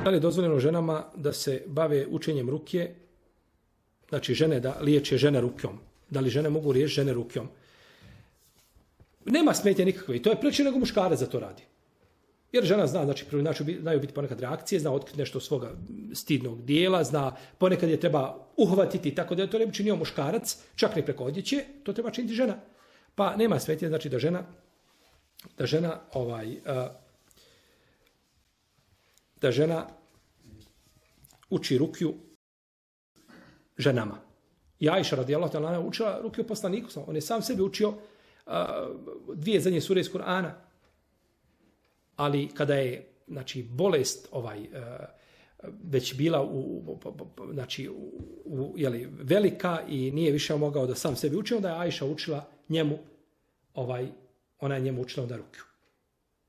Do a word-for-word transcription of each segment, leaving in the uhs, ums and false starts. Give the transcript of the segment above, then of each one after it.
Da li je dozvoljeno ženama da se bave učenjem rukje, znači žene da liječe žene rukom? Da li žene mogu liječiti žene rukom? Nema smetnje nikakve i to je preče nego muškarac za to radi. Jer žena zna, znači, znači znaju biti ponekad reakcije, zna otkriti nešto svoga stidnog dijela, zna ponekad je treba uhvatiti, tako da to ne bi činio muškarac, čak ne preko odjeće, to treba činiti žena. Pa nema smetnje, znači da žena, da žena, ovaj, da žena uči rukju ženama. I Ajša radijallahu ta'ala anha učila rukju poslaniku, on je sam sebi učio dvije zadnje sure iz Kur'ana. Ali kada je, znači, bolest ovaj, već bila u, znači, u, jeli, velika i nije više mogao da sam sebi uči, onda je Ajša učila njemu, ovaj, ona je njemu učila onda rukju.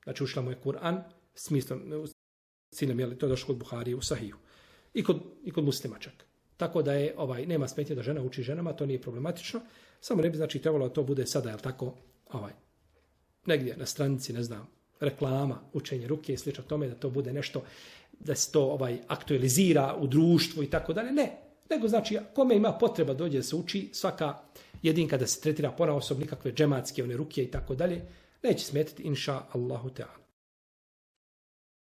Znači, učila mu je Kur'an, smislom, ciljem, jeli, to je došlo kod Buharije u Sahiju. I kod, i kod muslima čak. Tako da je, ovaj, nema smetnje da žena uči ženama, to nije problematično. Samo ne bi, znači, trebalo da to bude sada, jel tako, ovaj, negdje na stranici, ne znam, reklama, učenje ruke i slično tome, da to bude nešto, da se to ovaj aktualizira u društvu i tako dalje. Ne, nego znači, kome ima potreba dođe da se uči, svaka jedinka da se tretira ponaosob, nikakve džematske one ruke i tako dalje, neće smetiti, inša Allahu ta'ala.